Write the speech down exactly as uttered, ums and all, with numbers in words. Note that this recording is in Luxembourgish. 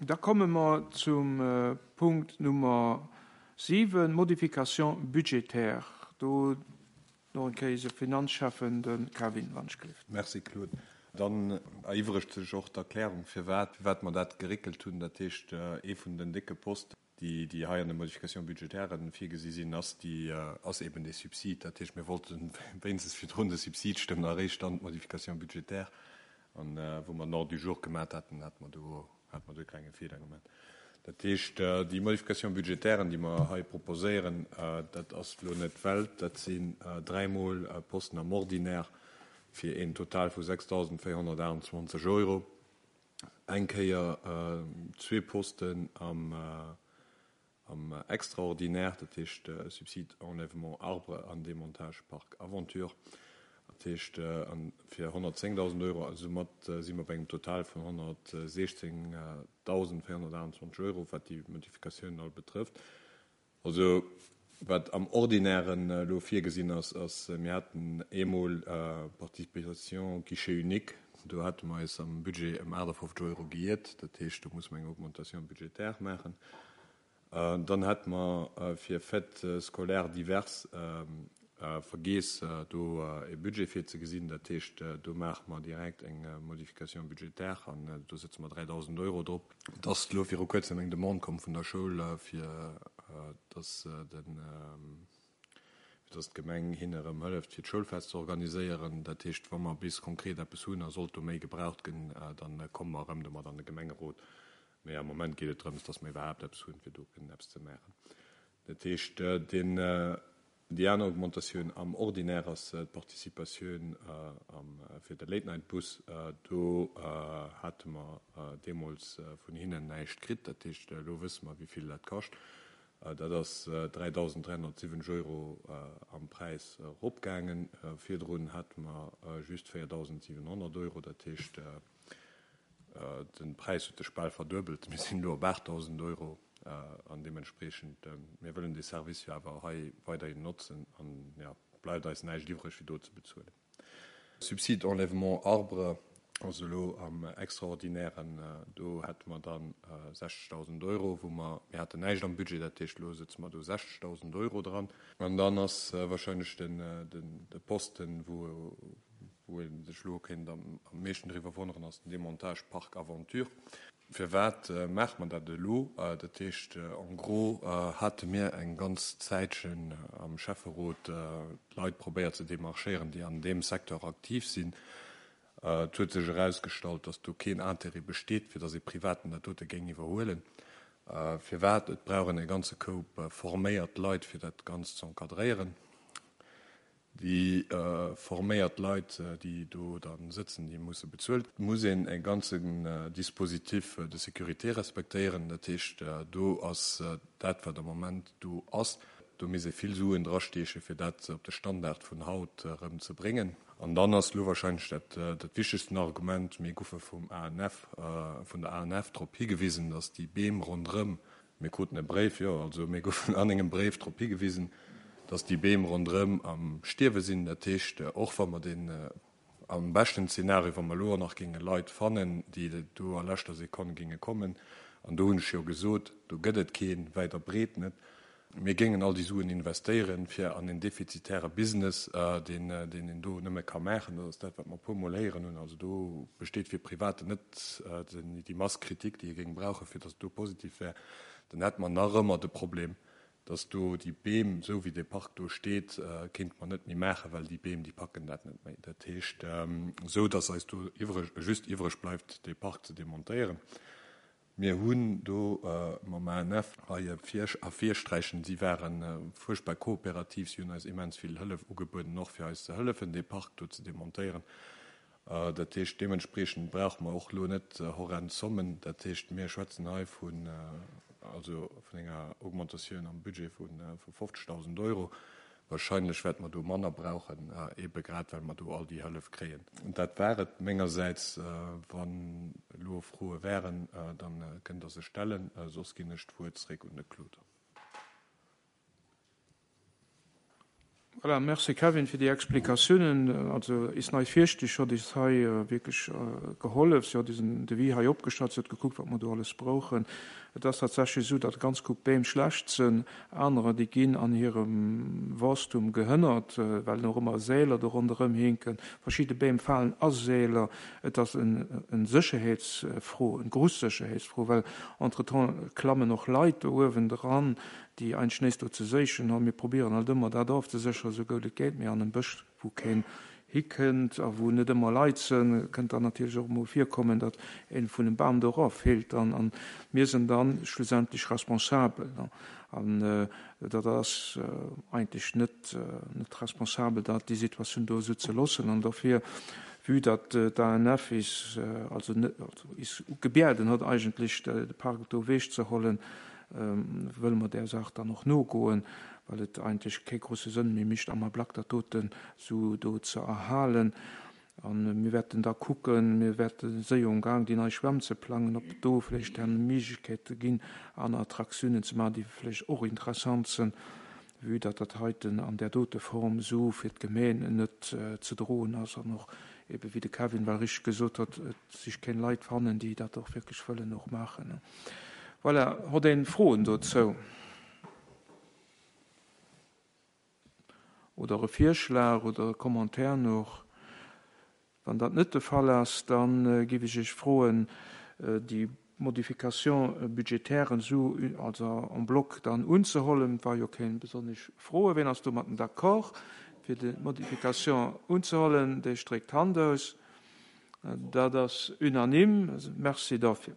Da komme mer zum Punkt Nummer siwen, Modification budgétaire. Do nach eng Kéier eise Finanzschäffen, de Kevin Wanschlift. Merci, Claude. Dann eriwwregt sech och d'Erklärung, firwat firwat mer dat geréckelt hunn. Dat heescht, ee vun den décke Posten, déi déi hei an de Modifications budgétairen virgesi sinn, ass déi ass eben dee Subsid. Dat heescht, mir wollte wéinstens virdrun de Subsid stëmmen a eréischt dann d'Modification budgétaire. An wou mer den Ordre du jour gemat haten, hate mer do hate mer do e klenge Feeler gemaat. Dat heescht, déi Modifications budgétairen, déi mer hei proposéieren, dat ass elo net d'Welt. Dat sinn dräimol Posten am Ordinaire fir een Total vu sechsdausendvéierhonnertaachtundzwanzeg Euro. Eng Kéier zwee Posten am am Extraordinaire, dat heescht Subside enlèvement arbre an Démontage Parc Aventure, dat heescht fir honnertzéngdausend Euro. Also soumat si mer bei engem Total vun honnertsechzéngdausendvéierhonnertaachtundzwanzeg Euro, wat déi Modifikatiounen all betrëfft. Also wat am Ordinairen elo virgesinn ass, ass, mir haten eemol Participation guichet unique, do hate mer eis am Budget ëm aachtafofzeg Euro geiert, dat heescht, do musse mer eng Augmentation budgétaire maachen. Dann hätte mer fir Fêtes scolaires diverses vergeess, do e Budget virzegesinn, dat heescht, do maache mer direkt eng Modification budgétaire an do sëtze mer dräidausend Euro drop. Et ass elo viru Kuerzem eng Demande komm vun der Schoul, fir dass den, fir dass d'Gemeng hinne erëm hëlleft, fir d'Schoulfest ze organiséieren. Dat heescht, wa mer bis konkret eppes hunn a sollt do méi gebraucht ginn, da komme mer erëm domat an de Gemengerot. Mee am Moment geet et drëms, dass mer iwwerhaapt eppes hunn, fir do kënnen eppes ze maachen. Dat heescht, deen, déi aner Augmentatioun am Ordinaire ass d'Participatioun am, fir de Late-Night-Bus. Do hate mer deemools vun hinnen näischt kritt. Dat heescht, elo wësse mer, wéi vill dat kascht. Dat ass dräidausend dräihonnertsiwwenzeg Euro am Präis eropgaangen. Virdrun hate mer just véierdausendsiwenhonnert Euro. Dat heescht, de Präis huet sech bal verduebelt. Mir sinn elo op aachtdausend Euro an deementspreechend, mir wëllen dee Service jo awer hei weiderhin notzen an, jo, bleift eis näischt iwwreg, wéi do ze bezuelen. Subside enlèvement arbre, also elo am Extraordinairen, do hätte mer dann sechzegdausend Euro, wou mer, mir haten näischt am Budget, dat heescht, elo sëtze mer do sechzegdausend Euro dran. An dann ass wahrscheinlech den, den, de Posten, wou, wou ee sech elo kéint am meeschten driwwer wonneren, ass den Démontage Parc Aventure. Firwat maache mer dat elo? Dat heescht, en gros hate mir eng ganz Zäitchen am Schäfferot d'Leit probéiert ze demarchéieren, déi an deem Secteur aktiv sinn. Et huet sech erausgestallt, datt do keen Intérêt besteet, fir datt ee Privaten dat dote géing iwwerhuelen. Firwat? Et brauch een e ganze Koup forméiert Leit, fir dat Ganzt ze encadréieren. Déi forméiert Leit, déi do da sëtzen, déi musse bezuelt. Et muss een e ganzen Dispositif de sécurité respektéieren. Dat heescht, do ass dat, wat am Moment do ass, do misst ee vill Suen drastiechen, fir dat op de Standard vun haut erëm ze bréngen. An dann ass elo wahrscheinlech dat dat wichtegsten Argument, mir goufe vum A N F, vun der A N F drop higewisen, datt déi Beem ronderëm, mir kruten e Bréif, jo, also mir goufen an engem Bréif drop higewisen, datt déi Beem ronderëm am Stierwe sinn. Dat heescht, och wa mer deen am beschten Zeenario, wa mer elo och nach géinge Leit fannen, déi do a leschter Sekonn géinge kommen, an do hunn ech jo gesot, do gëtt et keen, wäit a breet net, mir géingen all déi Suen investéieren, fir an en defizitäre Business, deen deen een do nëmme ka maachen, dat ass dat, wat mer e puermol héieren hunn, also do besteet fir Privaten net déi Masse critique, déi ee géing brauchen, fir datt et do positiv wär, dann hätte mer nach ëmmer de Problem, dass do déi Beem, esou wéi dee Park do steet, kéinte mer net méi maachen, well déi Beem, déi packen dat net méi. Dat heescht, esou dass eis do iwwreg, just iwwreg bleift, dee Park ze demontéieren. Mir hunn do mam A N F hei ervirsträichen, si ware fuerchtbar kooperativ, si hunn eis immens vill Hëllef ugebueden, och fir eis ze hëllefen, dee Park do ze demontéieren. Dat heescht, deementspreechend brauche mer och elo net horrend Zommen. Dat heescht, mir schwätzen hei vun, also vun enger Augmentatioun am Budget vu fofzegdausend Euro. Wahrscheinlech wäerte mer do manner brauchen, eebe grad well mer do all déi Hëllef kréien. Dat war et mengersäits. Wann elo Froe wären, da kënnt Der se stellen, soss ginn ech d'Wuert zréck un de Claude. Voilà, merci Kevin fir déi Explikatiounen. Also is nei Virstich huet is hei wierklech gehollef. Si huet is en Devis hei opgestallt, si huet gekuckt, wat mer do alles brauchen. Et ass tatsächlech esou, datt ganz gutt Beem schlecht sinn, anerer, déi ginn an hirem Wuesstum gehënnert, well och ëmmer Seeler do ronderëm hinken. Verschidde Beem falen a Seeler. Et ass en, en Sécherheetsfro, en grouss Sécherheetsfro, well entretemps klammen och Leit do uewen dran, déi eigentlech näischt do ze séichen hunn. Mir probieren halt ëmmer dat ofzesécheren, esou gutt et geet, mee an engem Bësch, wou keen hikënnt a wou net ëmmer Leit sinn, kënnt dann natierlech och emol virkommen, datt een vun engem Bam do eraffält an, an mir sinn dann schlussendlech responsabel. An dat ass eigentlech net, net responsabel, dat déi Situatioun do esou ze loossen. An dofir, vue datt d'ANF is, also net, also is gebieden huet eigentlech de Park do ewechzehuelen, wëlle mer där Saach dann och nogoen, well et eigentlech kee grousse Sënn méi mécht, am Ablack dat doten esou do ze erhalen. An mir wäerten da kucken, mir wäerte séier um Gaang, déi nei Schwämm ze plangen, ob do vläicht dann Méiglechkeete ginn, aner Attraktiounen ze maachen, déi vläicht och interessant sinn, vue datt dat heiten an där dote Form esou fir d'Gemeen net ze droen ass an och ebe wéi de Kevin well richteg gesot huet, et sech keng Leit fannen, déi dat och wierklech wëllen och maachen. Voilà, huet een Froen dozou? Oder e Virschlag oder e Commentaire nach? Wann dat net de Fall ass, dann géif ech Iech froen, déi Modification budgétaire esou, also en bloc dann unzehollen. Et war jo keng besonnesch Froe. Wien ass domatten d'accord, fir déi Modification unzehollen? Dee streckt d'Hand aus. Dat ass unanime. Merci dofir.